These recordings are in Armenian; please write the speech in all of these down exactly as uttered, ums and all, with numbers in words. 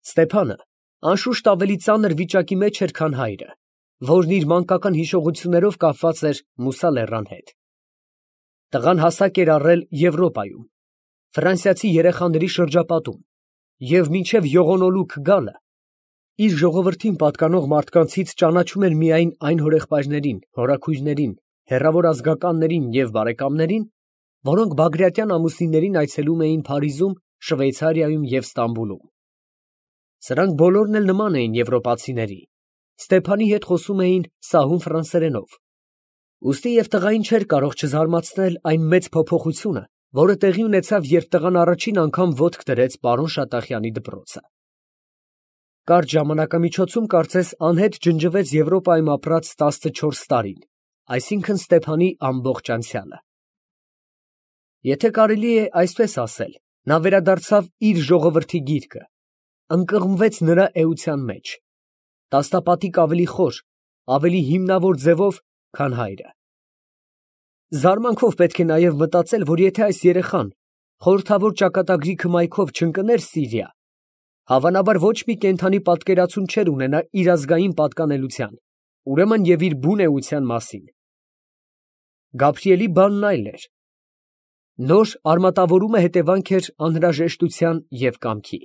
Ստեփանը անշուշտ ավելի ծանր վիճակի մեջ էր, քան հայրը, որն իր մանկական հիշողություններով կապված էր Մուսա լեռան հետ։ Տղան հասակ էր առել Եվրոպայում, ֆրանսիացի երեխաների շրջապատում, և մինչև յողոնոլուք գալը իր ժողովրդին պատկանող մարդկանցից ճանաչում էր միայն այն հորեղբայրներին, հորաքույրներին, հեռավոր ազգականներին և բարեկամներին, որոնք բագրատյան ամուսիններին այցելում էին Փարիզում, Շվեյցարիայում և Ստամբուլում։ Սրանք բոլորն էլ նման էին եվրոպացիների, Ստեփանի հետ խոսում էին սահուն ֆրանսերենով։ Ուստի և տղային չէր կարող չզարմացնել այն մեծ փոփոխությունը, որը տեղի ունեցավ, երբ տղան առաջին անգամ ոտք դրեց պարոն Շատախյանի դպրոցը։ Կարճ ժամանակամիջոցում կարծես անհետ ջնջվեց Եվրոպայում ապրած տասնչորս տարին, այսինքն Ստեփանի ամբողջ անցյալը։ Եթե կարելի է այսպես ասել, նա վերադարձավ իր ժողովրդի գիրկը, ընկղմվեց նրա էության մեջ, տասնապատիկ ավելի խոր, ավելի հիմնավոր ձևով, քան հայրը։ Զարմանքով պետք է նաև մտածել, որ եթե այս երեխան խորհրդավոր ճակատագրի քմայքով չընկներ Սիրիա, հավանաբար ոչ մի կենդանի պատկերացում չէր ունենա իր ազգային պատկանելության, ուրեմն և իր բուն էության մասին։ Գաբրիելի բանն այլ էր։ Նոր արմատավորումը հետևանք էր անհրաժեշտության և կամքի։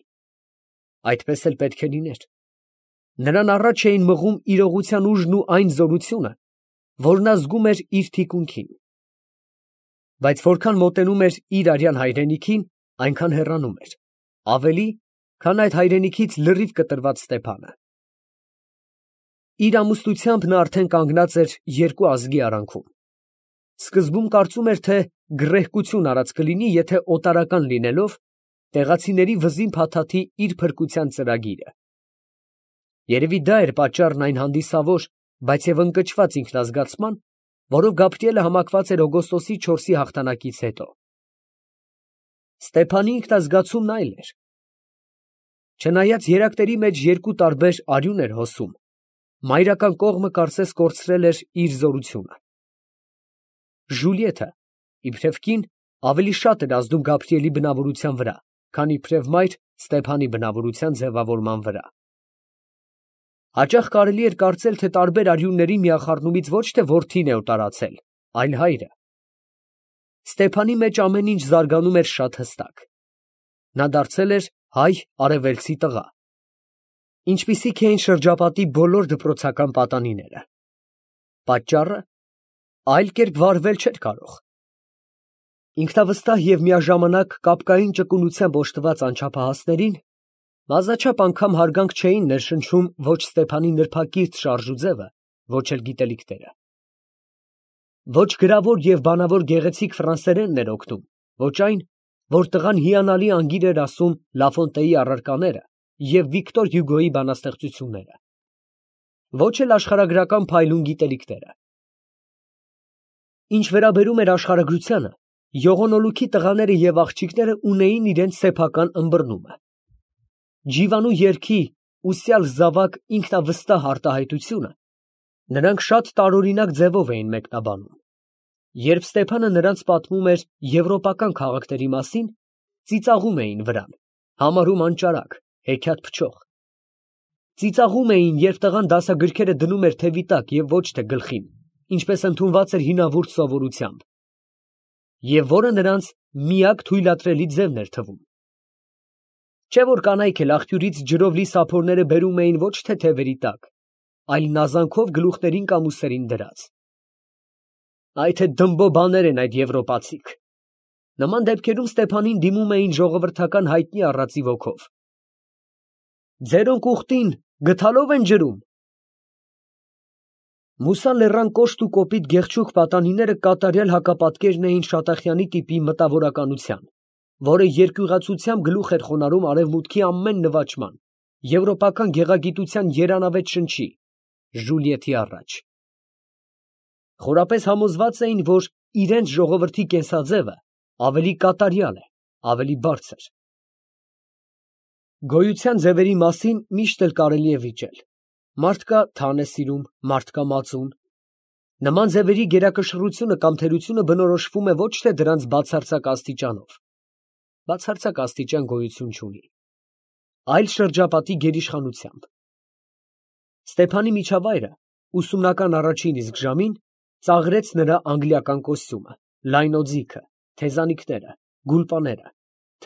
Այդպես էլ պետք է լիներ։ Նրան առաջ էին մղում իրողության ուժն ու այն զորությունը, որ նա զգում էր իր թիկունքին։ Բայց որքան մոտենում էր իր արյան հայրենիքին, այնքան հեռանում էր, ավելի, քան այդ հայրենիքից լրիվ կտրված Ստեփանը։ Իր ամուսնությամբ նա արդեն կանգնած էր երկու ազգի արանքում։ Սկզբում կարծում էր, թե գռեհկություն արած կլինի, եթե օտարական լինելով, տեղացիների վզին փաթաթի իր փրկության ծրագիրը։ Երևի դա էր պատճառն այն հանդիսավոր, բայց և ընկճված ինքնազգացման, որով Գաբրիելը համակված էր օգոստոսի չորսի հաղթանակից հետո։ Ստեփանի ինքնազգացումն այլ էր։ Չնայած երակների մեջ երկու տարբեր արյուն էր հոսում, մայրական կողմը կարծես կորցրել էր իր զորությունը։ Ժուլիետը, իբրև կին, ավելի շատ էր ազդում Գաբրիելի բնավորության վրա, քան իբրև մայր Ստեփանի բնավորության ձևավորման վրա։ Հաճախ կարելի էր կարծել, թե տարբեր արյունների միախառնումից ոչ թե որդին է օտարացել, այլ հայրը։ Ստեփանի մեջ ամեն ինչ զարգանում էր շատ հստակ։ Նա դարձել էր հայ արևելցի տղա, ինչպիսիք էին շրջապատի բոլոր դպրոցական պատանիները։ Պատճառը այլ կերպ վարվել չէր կարող։ Ինքնավստահ և միաժամանակ կապկային ճկունությամբ օժտված անչափահասներին բազմաչափ անգամ հարգանք չէին ներշնչում ոչ Ստեփանի նրբակիրթ շարժուձևը, ոչ էլ գիտելիքները։ Ոչ գրավոր և բանավոր գեղեցիկ ֆրանսերենն էր օգնում, ոչ այն, որ տղան հիանալի անգիր էր ասում Լաֆոնտեի առարկաները և Վիկտոր Հյուգոյի բանաստեղծությունները, ոչ էլ աշխարհագրական փայլուն գիտելիքները։ Ինչ վերաբերում էր աշխարհագրությանը, յողոնոլուքի տղաները և աղջիկները ունեին իրենց սեփական ըմբռնումը։ Ջիվանու երգի ուսյալ զավակ ինքնավստահ արտահայտությունը նրանք շատ տարօրինակ ձևով էին մեկնաբանում։ Երբ Ստեփանը նրանց պատմում էր եվրոպական քաղաքների մասին, ծիծաղում էին վրան, համարում անճարակ, հեքիաթ փչող։ Ծիծաղում էին, երբ տղան դասագրքերը դնում էր թևի տակ և ոչ թե գլխին, ինչպես ընդունված էր հինավուրց սովորությամբ, և որը նրանց միակ թույլատրելի ձևն էր թվում։ Չէ՞ որ կանայք էլ աղբյուրից ջրով լի սափորները բերում էին ոչ թե թևերի տակ, այլ նազանքով գլուխներին կամ ուսերին դրած։ Այ թե դմբո բաներ են այդ եվրոպացիք։ Նման դեպքերում Ստեփանին դիմում էին ժողովրդական հայտնի առածի ոգով. «Ձերոնք ուխտին գդալո՞վ են ջրում»։ Մուսա լեռան կոշտ ու կոպիտ գեղչուղ պատանիները կատարյալ հակապատկերն էին Շատախյանի տիպի մտավորականության, որը երկյուղացությամբ գլուխ էր խոնարհում արևմուտքի ամեն նվաճման, եվրոպական գեղագիտության երանավետ շնչի, Ժուլիետի առաջ։ Խորապես համոզված էին, որ իրենց ժողովրդի կենսաձևը ավելի կատարյալ է, ավելի բարձր։ Գոյության ձևերի մասին միշտ էլ կարելի է վիճել. մարդ կա թան է սիրում, մարդ կա մածուն։ Նման ձևերի գերակշռությունը կամ թերությունը բնորոշվում է ոչ թե դրանց բացարձակ աստիճանով, բացարձակ աստիճան գոյություն չունի, այլ շրջապատի գերիշխանությամբ։ Ստեփանի միջավայրը ուսումնական առաջին իսկ ժամին ծաղրեց նրա անգլիական կոստյումը, լայն օձիքը, թեզանիքները, գուլպաները,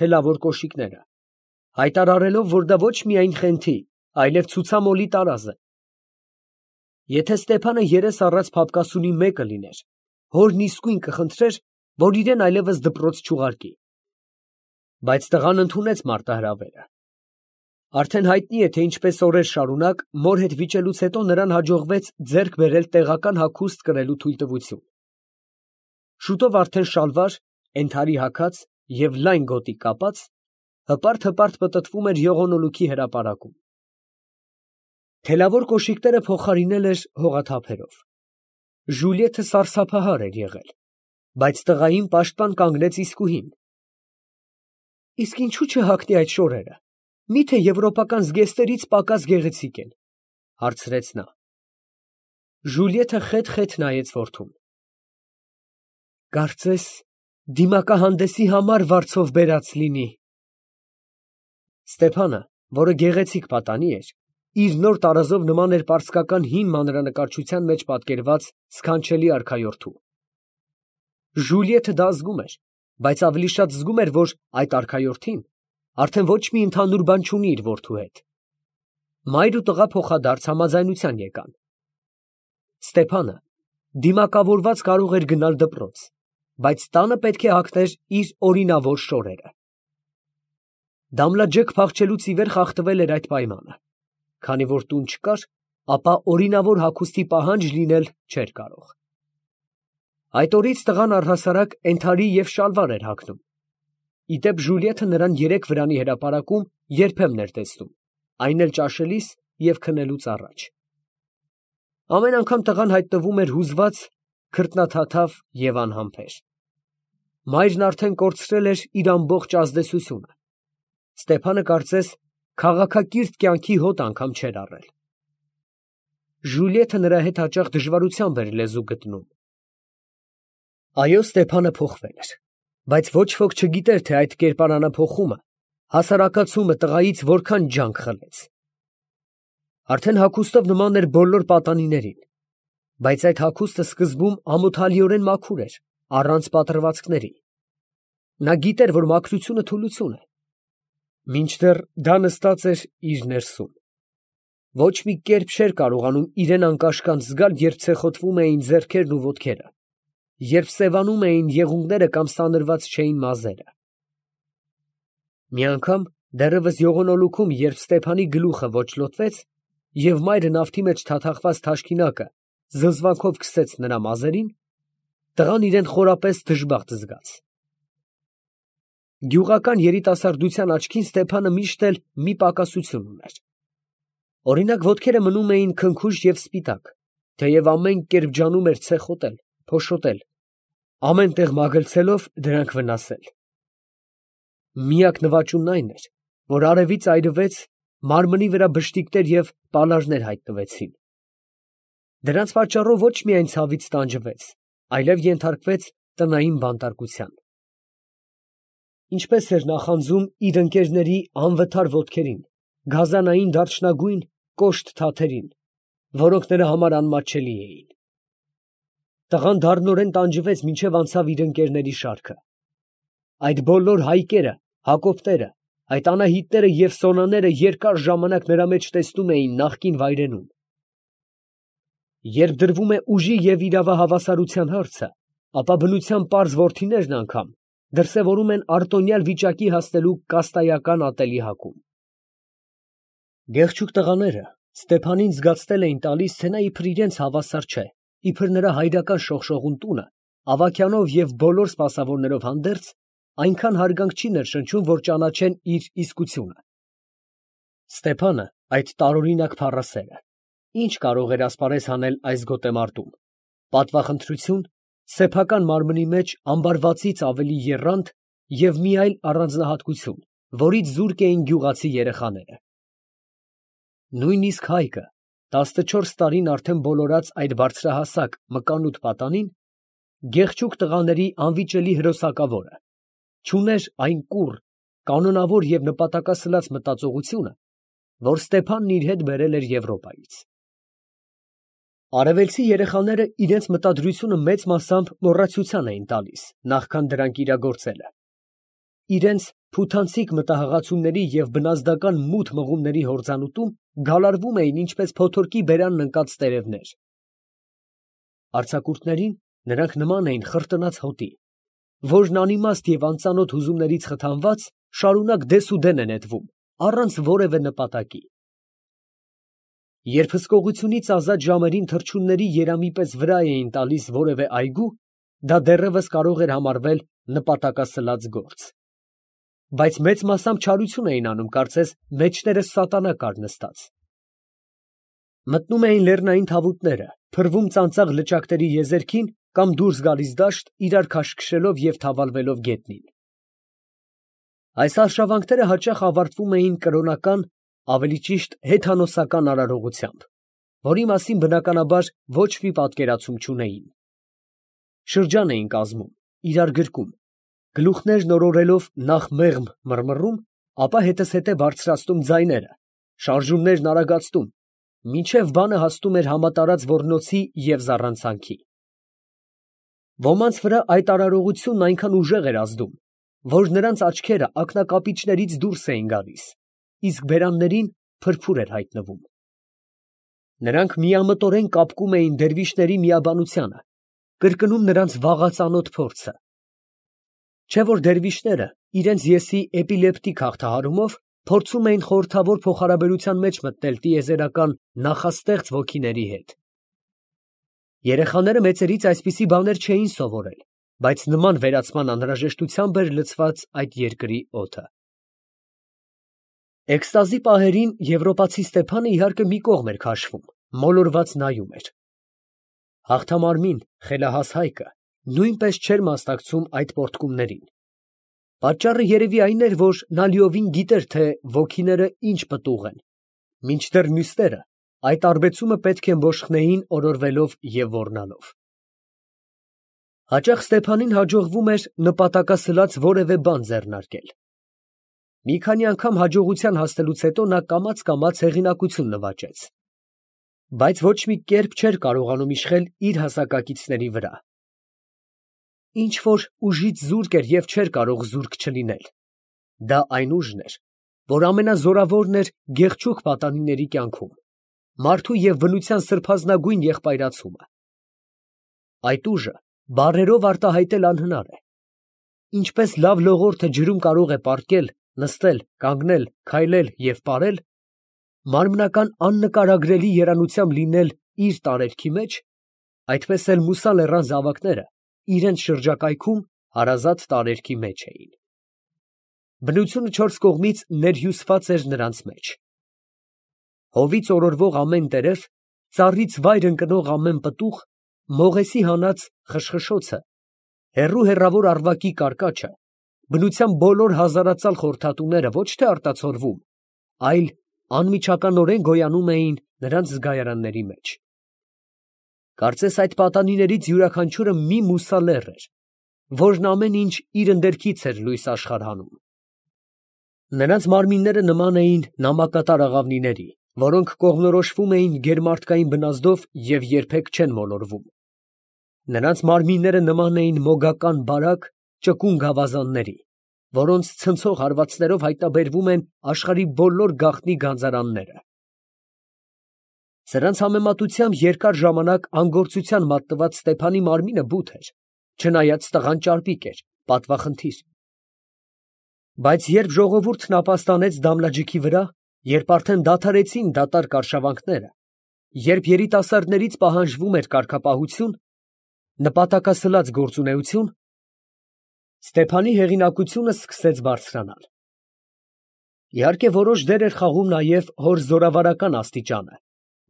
թելավոր կոշիկները, հայտարարելով, որ դա ոչ միայն խենթի, այլև ցուցամոլի տարազ է։ Եթե Ստեփանը երես առած փափկասունի մեկը լիներ, հորն իսկույն կխնդրեր, որ իրեն այլևս դպրոց չուղարկի։ Բայց տղան ընդունեց մարտահրավերը։ Արդեն հայտնի է, թե ինչպես օրեր շարունակ մոր հետ վիճելուց հետո նրան հաջողվեց ձեռք բերել տեղական հագուստ կրելու թույլտվություն։ Շուտով արդեն շալվար, ենթարի հագած և լայն գոտի կապած, հպարտ-հպարտ պտտվում էր եղունոլուքի հրապարակում։ Թելավոր կոշիկները փոխարինել էր հողաթափերով։ Ժուլիեթը սարսափահար էր եղել, բայց տղային պաշտպան կանգնեց իսկուհին։ Իսկ ինչու չհագնի այդ շորերը, մի՞թե եվրոպական զգեստերից պակաս գեղեցիկ են, հարցրեց նա։ Ժուլիեթը խեթ֊խեթ նայեց որդուն։ Կարծես դիմակահանդեսի համար վարձով բերած լինի։ Ստեփանը, որը գեղեցիկ պատանի էր, իր նոր տարազով նման էր պարսկական հին մանրանկարչության մեջ պատկերված սքանչելի արքայորդու։ Ժուլիեթը դա զգում էր, բայց ավելի շատ զգում էր, որ այդ արքայորդին արդեն ոչ մի ընդհանուր բան չունի իր որդու հետ։ Մայր ու տղա փոխադարձ համաձայնության եկան։ Ստեփանը դիմակավորված կարող էր գնալ դպրոց, բայց տանը պետք է հագներ իր օրինավոր շորերը։ Դամլաջեկ փախչելուց ի վեր խախտվել էր այդ պայմանը, քանի որ տուն չկար, ապա օրինավոր հագուստի պահանջ լինել չէր կարող։ Այդ օրից տղան առհասարակ ենթարի և շալվար էր հագնում։ Ի դեպ Ժուլիեթը նրան երեք վրանի հրապարակում երբեմն էր տեսնում, այն էլ ճաշելիս և քնելուց առաջ։ Ամեն անգամ տղան հայտնվում էր հուզված, քրտնաթաթավ և անհամբեր։ Մայրն արդեն կորցրել էր իր ամբողջ ազդեցությունը։ Ստեփանը կարծես քաղաքակիրթ կյանքի հոտ անգամ չէր առել։ Ժուլիեթը նրա հետ հաճախ դժվարությամբ էր լեզու գտնում։ Այո, Ստեփանը փոխվել էր, բայց ոչ ոք չգիտեր, թե այդ կերպարանափոխումը, հասարակացումը տղայից որքան ջանք խլեց։ Արդեն հագուստով նման էր բոլոր պատանիներին, բայց այդ հագուստը սկզբում ամոթալիորեն մաքուր էր, առանց պատրվածքների։ Նա գիտեր, որ մաքրությունը թուլություն է, մինչդեռ դա նստած էր իր ներսում։ Ոչ մի կերպ չէր կարողանում իրեն անկաշկանդ զգալ, երբ ցեխոտվում էին ձեռքերն ու ոտքերը, երբ սևանում էին եղունգները կամ սանրված չէին մազերը։ Մի անգամ դեռևս եղունոլուքում, երբ Ստեփանի գլուխը ոճլոտվեց և մայրը նավթի մեջ թաթախված թաշկինակը զզվանքով քսեց նրա մազերին, տղան իրեն խորապես դժբախտ զգաց։ Գյուղական երիտասարդության աչքին Ստեփանը միշտ էլ մի պակասություն ուներ։ Օրինակ, ոտքերը մնում էին քնքուշ և սպիտակ, թեև ամեն կերպ ջանում էր ցեխոտել, փոշոտել, ամեն տեղ մագլցելով դրանք վնասել։ Միակ նվաճումն այն էր, որ արևից այրվեց, մարմնի վրա բշտիկներ և պալարներ հայտնվեցին։ Դրանց պատճառով ոչ միայն ցավից տանջվեց, այլև ենթարկվեց տնային բանտարկության։ Ինչպես էր նախանձում իր ընկերների անվթար ոտքերին, գազանային դարչնագույն կոշտ թաթերին, որոնք նրա համար անմատչելի էին։ Տղան դառնորեն տանջվեց, մինչև անցավ իր ընկերների շարքը։ Այդ բոլոր հայկերը, Հակոբները, այդ Անահիտները և Սոնաները երկար ժամանակ նրա մեջ տեսնում էին նախկին վայրենում։ Երբ դրվում է ուժի և իրավահավասարության հարցը, ապա բնության պարզ որդիներն անգամ դրսևորում են արտոնյալ վիճակի հասնելու կաստայական ատելի հակում։ Գեղչուկ տղաները Ստեփանին զգացնել էին տալիս, թե նա իբր իրենց հավասար չէ, իբր նրա հայրական շողշողուն տունը, ավագյանով և բոլոր սպասավորներով հանդերձ, այնքան հարգանք չի ներշնչում, որ ճանաչեն իր իսկությունը։ Ստեփանը, այդ տարօրինակ փառասերը, ինչ կարող էր ասպարեզ հանել այս գոտեմարտում, պատվախնդրություն, սեփական մարմնի մեջ ամբարվածից ավելի եռանդ և մի այլ առանձնահատկություն, որից զուրկ էին գյուղացի երեխաները։ Նույնիսկ Հայկը, տասնչորս տարին արդեն բոլորած այդ բարձրահասակ մկանուտ պատանին, գեղչուկ տղաների անվիճելի հրոսակավորը, չուներ այն կուռ, կանոնավոր և նպատակասլաց մտածողությունը, որ Ստեփանն իր հետ բերել էր Եվրոպայից։ Արևելցի երեխաները իրենց մտադրությունը մեծ մասամբ մոռացության էին տալիս, նախքան դրանք իրագործելը։ Իրենց փութանցիկ մտահղացումների և բնազդական մութ մղումների հորձանուտում գալարվում էին ինչպես փոթորկի բերանն ընկած տերևներ։ Արձակուրդներին նրանք նման էին խրտնած հոտի, որն անիմաստ և անծանոթ հուզումներից խթանված շարունակ դեսուդեն է նետվում, առանց որևէ նպատակի։ Երբ հսկողությունից ազատ ժամերին թռչունների երամի պես վրա էին տալիս որևէ այգու, դա դեռևս կարող էր համարվել նպատակասլաց գործ։ Բայց մեծ մասամբ չարություն էին անում, կարծես մեջտեղը սատանա կար նստած։ Մտնում էին լեռնային թավուտները, փռվում ծանծաղ լճակների եզերքին կամ դուրս գալիս դաշտ, իրար քաշքշելով և թավալվելով գետնին։ Այս արշավանքները հաճախ ավարտվում էին կրոնական, ավելի ճիշտ հեթանոսական արարողությամբ, որի մասին բնականաբար ոչ մի պատկերացում չունեին։ Շրջան էին կազմում, իրար գրկում, գլուխներն օրորելով նախ մեղմ մռմռում, ապա հետզհետե բարձրացնում ձայները, շարժումներն արագացնում, մինչև բանը հասնում էր համատարած ոռնոցի և զառանցանքի։ Ոմանց վրա այդ արարողությունն այնքան ուժեղ էր ազդում, որ նրանց աչքերը ակնակապիճներից դուրս էին գալիս, իսկ բերաններին փրփուր էր հայտնվում։ Նրանք միամտորեն կապկում էին դերվիշների միաբանությանը, կրկնում նրանց վաղածանոթ փորձը։ Չէ՞ որ դերվիշները իրենց եսի էպիլեպտիկ հաղթահարումով փորձում էին խորհրդավոր փոխհարաբերության մեջ մտնել տիեզերական նախաստեղծ ոգիների հետ։ Երեխաները մեծերից այսպիսի բաներ չէին սովորել, բայց նման վերացման անհրաժեշտությամբ էր լցված այդ երկրի օդը։ Էքստազի պահերին եվրոպացի Ստեփանը իհարկե մի կողմ էր քաշվում, մոլորված նայում էր։ Հաղթամարմին, խելահաս հայկը նույնպես չէր մասնակցում այդ պոռթկումներին։ Պատճառը երևի այն էր, որ նա լիովին գիտեր, թե ոգիները ինչ պտուղ են, մինչդեռ մյուսները այդ արբեցումը պետք է մոշխնեին օրորվելով և ոռնալով։ Հաճախ Ստեփանին հաջողվում էր նպատակասլաց որևէ բան ձեռնարկել։ Մի քանի անգամ հաջողության հասնելուց հետո նա կամաց֊կամաց հեղինակություն նվաճեց, բայց ոչ մի կերպ չէր կարողանում իշխել իր հասակակիցների վրա։ Ինչ որ ուժից զուրկ էր և չէր կարող զուրկ չլինել, դա այն ուժն էր, որ ամենազորավորն էր գեղչուկ պատանիների կյանքում, մարդու և բնության սրբազնագույն եղբայրացումը։ Այդ ուժը բառերով արտահայտել անհնար է։ Ինչպես լավ լողորդը ջրում կարող է պառկել, նստել, կանգնել, քայլել և պարել, մարմնական աննկարագրելի երանությամբ լինել իր տարերքի մեջ, այդպես էլ Մուսա լեռան զավակները իրենց շրջակայքում հարազատ տարերքի մեջ էին։ Բնությունը չորս կողմից ներհյուսված էր նրանց մեջ։ Հովից օրորվող ամեն տերև, ծառից վայր ընկնող ամեն պտուղ, մողեսի հանած խշխշոցը, հեռու հեռավոր առվակի կարկաչը, բնության բոլոր հազարածալ խորհրդատուները ոչ թե արտացոլվում, այլ անմիջականորեն գոյանում էին նրանց զգայարանների մեջ։ Կարծես այդ պատանիներից յուրաքանչյուրը մի Մուսա լեռ էր, որն ամեն ինչ իր ընդերքից էր լույս աշխարհ հանում։ Նրանց մարմինները նման էին նամակատար աղավնիների, որոնք կողմնորոշվում էին գերմարդկային բնազդով և երբեք չեն մոլորվում։ Նրանց մարմինները նման էին մոգական բարակ, ճկուն գավազանների, որոնց ցնցող հարվածներով հայտնաբերվում են աշխարհի բոլոր գաղտնի գանձարանները։ Սրանց համեմատությամբ երկար ժամանակ անգործության մատնված Ստեփանի մարմինը բութ էր, չնայած տղան ճարպիկ էր, պատվախնդիր։ Բայց երբ ժողովուրդն ապաստանեց Դամլաջիքի վրա, երբ արդեն դադարեցին դատարկ արշավանքները, երբ երիտասարդներից պահանջվում էր կարգապահություն, նպատակասլաց գործունեություն, Ստեփանի հեղինակությունը սկսեց բարձրանալ։ Իհարկե որոշ դեր էր խաղում նաև հոր զորավարական աստիճանը,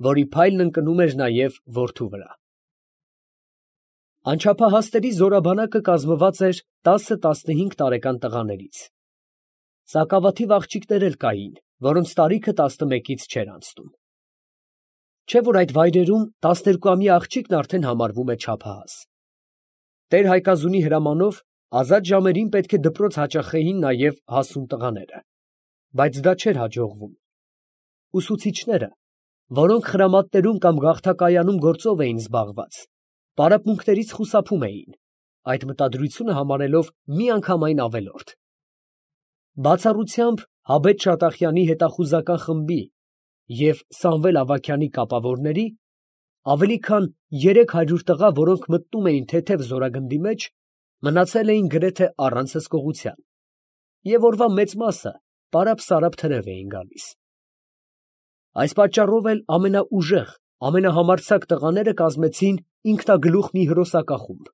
որի փայլն ընկնում էր նաև որդու վրա։ Անչափահասների զորաբանակը կազմված էր տասը֊տասնհինգ տարեկան տղաներից։ Սակավաթիվ աղջիկներ էլ կային, որոնց տարիքը տասնմեկից չէր անցնում։ Չէ՞ որ այդ վայրերում տասներկուամյա աղջիկն արդեն համարվում է չափահաս։ Տեր֊Հայկազունի հրամանով Ազատ ժամերին պետք է դպրոց հաճախեին նաև հասուն տղաները, բայց դա չէր հաջողվում։ Ուսուցիչները, որոնք խրամատներում կամ գաղթակայանում գործով էին զբաղված, պարապմունքներից խուսափում էին, այդ մտադրությունը համարելով միանգամայն ավելորդ։ Բացառությամբ Հաբետ Շատախյանի հետախուզական խմբի և Սամվել Ավագյանի կապավորների, ավելի քան երեք հարյուր տղա, որոնք մտնում էին թեթև զորագնդի մեջ, մնացել էին գրեթե առանց հսկողության, և օրվա մեծ մասը պարապ֊սարապ թրև էին գալիս։ Այս պատճառով էլ ամենաուժեղ, ամենահամարձակ տղաները կազմեցին ինքնագլուխ մի հրոսակախումբ,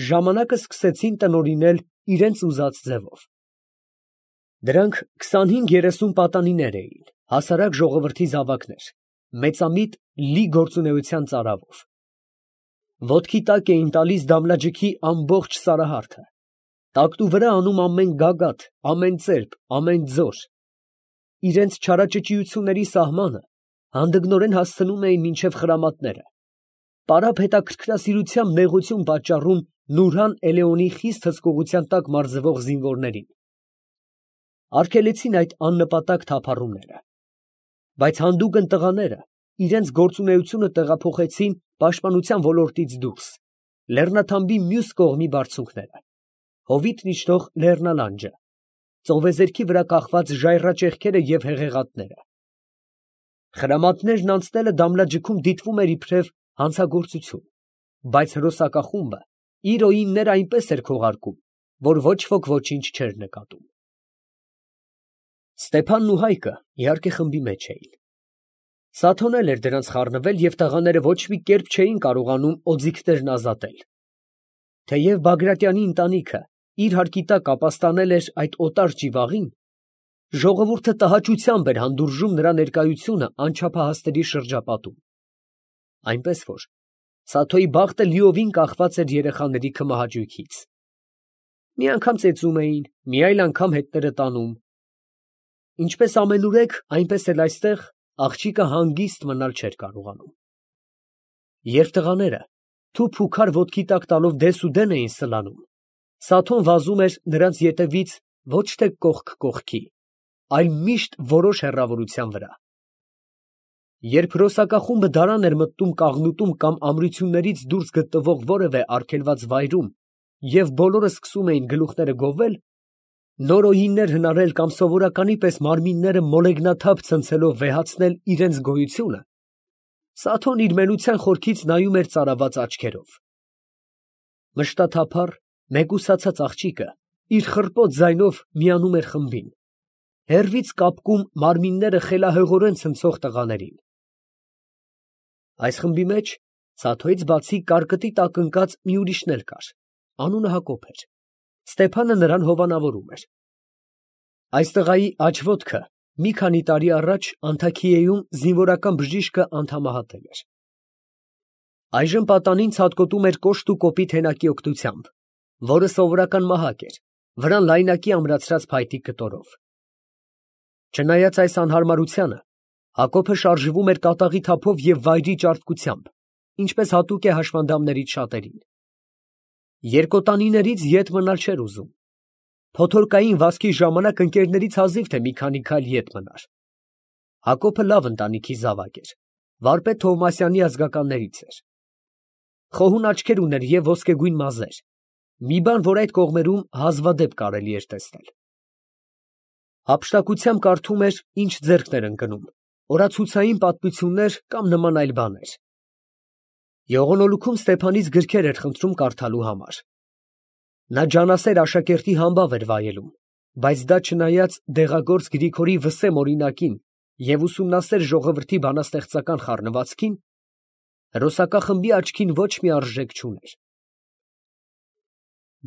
ժամանակը սկսեցին տնօրինել իրենց ուզած ձևով։ Դրանք քսանհինգ երեսուն պատանիներ էին, հասարակ ժողովրդի զավակներ, մեծամիտ լի գործունեության ծարավով։ Ոտքի տակ էին տալիս Դամլաջիքի ամբողջ սարահարթը, տակտու վրա անում ամեն գագաթ, ամեն ծերբ, ամեն ձոր, իրենց չարաճճիությունների սահմանը հանդգնորեն հասցնում էին մինչև խրամատները, պարապ հետաքրքրասիրությամբ նեղություն պատճառում Նուրհան Էլեոնի խիստ հսկողության տակ մարզվող զինվորներին, արգելեցին այդ աննպատակ թափառումները, բայց հանդուգն տղաները իրենց գործունեությունը տեղափոխեցին պաշտպանության ոլորտից դուրս, լեռնաթամբի մյուս կողմի բարձունքները, հովիտն իջնող լեռնալանջը, ծովեզերքի վրա կախված ժայռաճեղքերը և հեղեղատները։ Խրամատներն անցնելը Դամլաջիքում դիտվում էր իբրև հանցագործություն, բայց հրոսակախումբը իր օինները այնպես էր քողարկում, որ ոչ ոք ոչինչ չէր նկատում։ Ստեփանն ու Հայկը իհարկե խմբի մեջ էին։ Սաթոն էլ էր դրանց խառնվել, և տղաները ոչ մի կերպ չէին կարողանում օձիքներն ազատել։ Թեև Բագրատյանի ընտանիքը իր հարկի տակ ապաստանել էր այդ օտար ճիվաղին, ժողովուրդը տհաճությամբ էր հանդուրժում նրա ներկայությունը անչափահասների շրջապատում, այնպես որ Սաթոյի բախտը լիովին կախված էր երեխաների քմահաճույքից։ Մի անգամ ծեծում էին, մի այլ անգամ հետները տանում։ Ինչպես ամենուրեք, այնպես էլ այստեղ աղջիկը հանգիստ մնալ չէր կարողանում։ Երբ տղաները թուփ ու քար ոտքի տակ տալով դեսուդեն էին սլանում, Սաթոն վազում էր նրանց ետևից ոչ թե կողք կողքի, այլ միշտ որոշ հեռավորության վրա։ Երբ հրոսակախումբը դարան էր մտնում կաղնուտում կամ ամրություններից դուրս գտնվող որևէ արգելված վայրում և բոլորը սկսում էին գլուխները գովել, նոր օիններ հնարել կամ սովորականի պես մարմինները մոլեգնաթափ ցնցելով վեհացնել իրենց գոյությունը, Սաթոն իր մենության խորքից նայում էր ծարաված աչքերով։ Մշտաթափառ, մեկուսացած աղջիկը իր խռպոտ ձայնով միանում էր խմբին, հեռվից կապկում մարմինները խելահեղորեն ցնցող տղաներին։ Այս խմբի մեջ Սաթոյից բացի կարկտի տակ ընկած մի ուրիշն էլ կար, անունը Հակոբ էր, Ստեփանը նրան հովանավորում էր։ Այս տղայի աջ ոտքը մի քանի տարի առաջ Անթաքիեում զինվորական բժիշկը անդամահատել էր։ Այժմ պատանին ցատկոտում էր կոշտ ու կոպիտ հենակի օգնությամբ, որը սովորական մահակ էր, վրան լայնակի ամրացրած փայտիկ կտորով։ Չնայած այս անհարմարությանը, Հակոբը շարժվում էր կատաղի թափով և վայրի ճարպկությամբ, ինչպես հատուկ է հաշմանդամներից շատերին։ Երկոտանիներից ետ մնալ չէր ուզում։ Փոթորկային վազքի ժամանակ ընկերներից հազիվ թե մի քանի քայլ ետ մնար։ Հակոբը լավ ընտանիքի զավակ էր, վարպետ Թովմասյանի ազգականներից էր։ Խոհուն աչքեր ուներ և ոսկեգույն մազեր, մի բան, որ այդ կողմերում հազվադեպ կարելի էր տեսնել։ Հափշտակությամբ կարդում էր, ինչ ձեռքն էր ընկնում, օրացուցային պատմություններ կամ նման այլ բաներ։ Եղունոլուքում Ստեփանից գրքեր էր խնդրում կարդալու համար։ Նա ջանասեր աշակերտի համբավ էր վայելում, բայց դա չնայած դեղագործ Գրիգորի Վսեմ օրինակին և ուսումնասեր ժողովրդի բանաստեղծական խառնվածքին, հրոսակախմբի աչքին ոչ մի արժեք չուներ։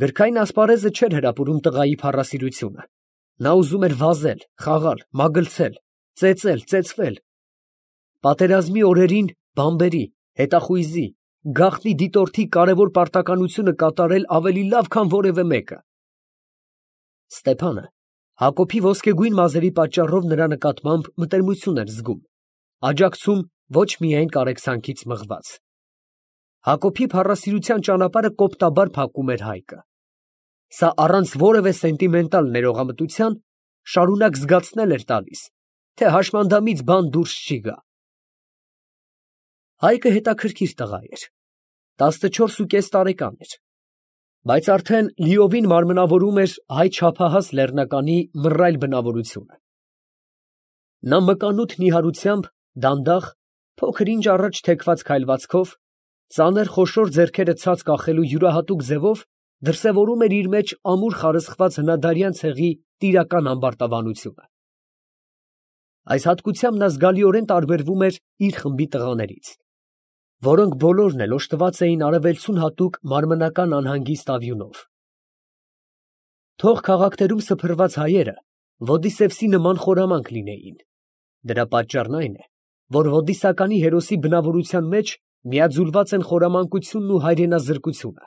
Գրքային ասպարեզը չէր հրապուրում տղայի փառասիրությունը։ Նա ուզում էր վազել, խաղալ, մագլցել, ծեծել, ծեծվել։ Պատերազմի օրերին բամբերի, հետախույզի, գաղտնի դիտորդի կարևոր պարտականությունը կատարել ավելի լավ, քան որևէ մեկը։ Ստեփանը Հակոբի ոսկեգույն մազերի պատճառով նրա նկատմամբ մտերմություն էր զգում, աջակցում ոչ միայն կարեկցանքից մղված։ Հակոբի փառասիրության ճանապարհը կոպտաբար փակում էր Հայկը։ Սա առանց որևէ սենտիմենտալ ներողամտության շարունակ զգացնել էր տալիս, թե հաշմանդամից բան դուրս չի գա։ Հայկը հետաքրքիր տղա էր, տասնչորսուկես տարեկան էր, բայց արդեն լիովին մարմնավորում էր հայ չափահաս լեռնականի մռայլ բնավորությունը։ Նա մկանութ նիհարությամբ, դանդաղ, փոքր ինչ առաջ թեքված քայլվածքով, ծանր խոշոր ձեռքերը ցած կախելու յուրահատուկ ձևով դրսևորում էր իր մեջ ամուր խարսխված հնադարյան ցեղի տիրական ամբարտավանությունը։ Այս հատկությամբ նա զգալիորեն տարբերվում էր իր խմբի տղաներից, որոնք բոլորն էլ օժտված էին արևելցուն հատուկ մարմնական անհանգիստ ավյունով։ Թող քաղաքներում սփռված հայերը Ոդիսևսի նման խորամանկ լինեին, դրա պատճառն այն է, որ ոդիսականի հերոսի բնավորության մեջ միաձուլված են խորամանկությունն ու հայրենազրկությունը,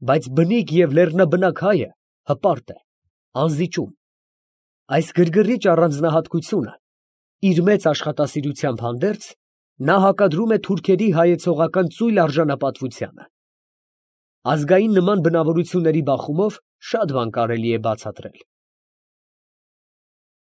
բայց բնիկ և լեռնաբնակ հայը հպարտ է, անզիջում։ Այս գրգռիչ առանձնահատկությունը իր մեծ աշխատասիրությամբ հանդերձ, նա հակադրում է թուրքերի հայեցողական ծույլ արժանապատվությանը։ Ազգային նման բնավորությունների բախումով շատ բան կարելի է բացատրել։